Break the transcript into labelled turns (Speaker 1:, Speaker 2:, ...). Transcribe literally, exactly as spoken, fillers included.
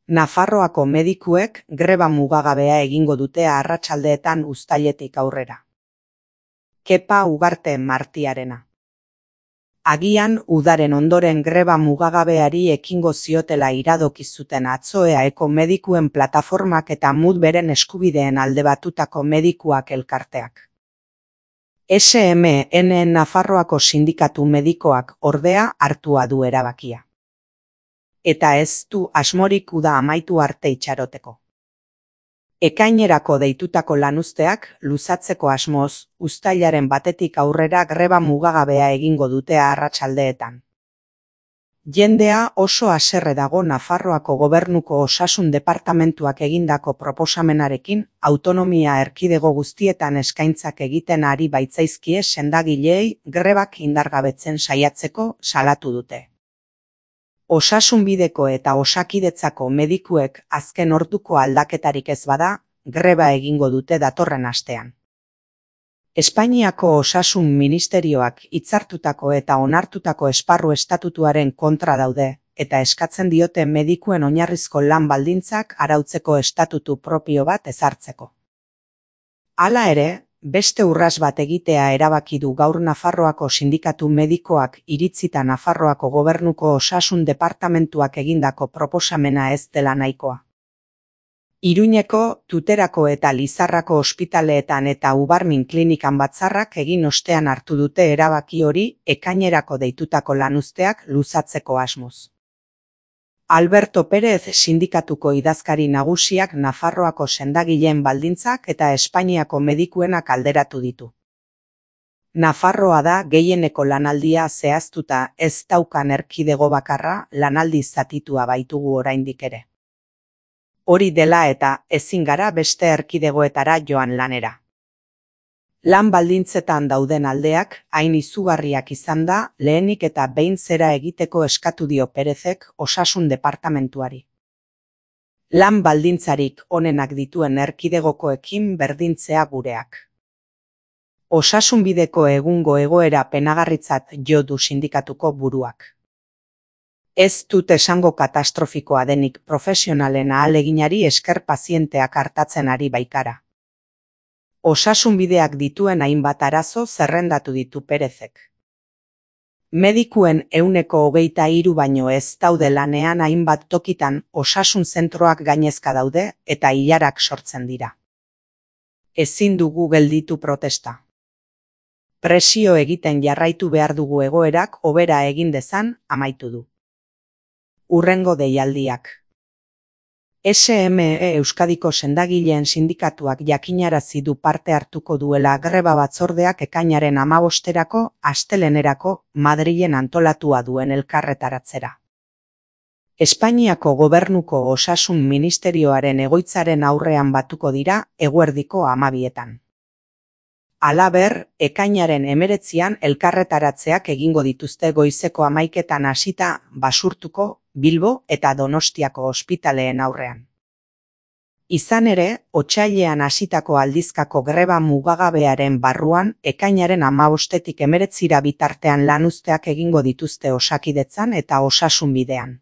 Speaker 1: Nafarroako medikuek greba mugagabea egingo dute arratsaldeetan uztailetik aurrera. Kepa Ugarte Martiarena. Agian udaren ondoren greba mugagabeari ekingo ziotela iradoki zuten atzo eaeko medikuen plataformak eta mut beren eskubideen alde batutako medikuak elkarteak. S M N Nafarroako sindikatu medikoak ordea hartua du erabakia. Eta ez du asmorik uda amaitu arte itxaroteko. Ekainerako deitutako lanuzteak luzatzeko asmoz, uztailaren batetik aurrera greba mugagabea egingo dute arratsaldeetan. Jendea oso haserre dago Nafarroako gobernuko osasun departamentuak egindako proposamenarekin, autonomia erkidego guztietan eskaintzak egiten ari baitzaizkie sendagileei grebak indargabetzen saiatzeko salatu dute. Osasunbideko eta osakidetzako medikuek azken orduko aldaketarik ez bada, greba egingo dute datorren astean. Espainiako Osasun Ministerioak hitzartutako eta onartutako esparru estatutuaren kontra daude, eta eskatzen diote medikuen oinarrizko lan baldintzak arautzeko estatutu propio bat ezartzeko. Hala ere, beste urras bat egitea erabaki du gaur Nafarroako sindikatu medikoak iritzita Nafarroako gobernuko osasun departamentuak egindako proposamena ez dela nahikoa. Iruñeko, Tuterako eta Lizarrako ospitaleetan eta Ubarmin klinikan batzarrak egin ostean hartu dute erabaki hori ekainerako deitutako lanuzteak luzatzeko asmoz. Alberto Pérez sindikatuko idazkari nagusiak Nafarroako sendagileen baldintzak eta Espainiako medikuenak alderatu ditu. Nafarroa da gehieneko lanaldia zehaztuta ez daukan erkidego bakarra, lanaldi zatitua baitugu oraindik ere. Hori dela eta ezin gara beste erkidegoetara joan lanera. Lan baldintzetan dauden aldeak hain izugarriak izan da lehenik eta behin zera egiteko eskatu dio Perezek osasun departamentuari. Lan baldintzarik onenak dituen erkidegokoekin berdintzea gureak. Osasunbideko egungo egoera penagarritzat jo du sindikatuko buruak. Ez dut esango katastrofikoa denik profesionalen ahaleginari esker pazienteak artatzen ari baikara. Osasunbideak dituen hainbat arazo zerrendatu ditu Perezek. Medikuen ehuneko hogeita hiru baino ez daude lanean hainbat tokitan osasun zentroak gainezka daude eta ilarak sortzen dira. Ezin dugu gelditu protesta. Presio egiten jarraitu behar dugu egoerak hobera egin dezan amaitu du. Urrengo deialdiak. S M E Euskadiko sendagileen sindikatuak jakinarazi du parte hartuko duela greba batzordeak ekainaren hamabosterako astelehenerako Madrilen antolatua duen elkarretaratzera. Espainiako gobernuko osasun ministerioaren egoitzaren aurrean batuko dira eguerdiko hamabietan. Halaber, ekainaren hemeretzian elkarretaratzeak egingo dituzte goizeko hamaiketan hasita Basurtuko, Bilbo eta Donostiako ospitaleen aurrean. Izan ere, otsailean hasitako aldizkako greba mugagabearen barruan ekainaren hamabostetik hemeretzira bitartean lanuzteak egingo dituzte osakidetzan eta osasunbidean.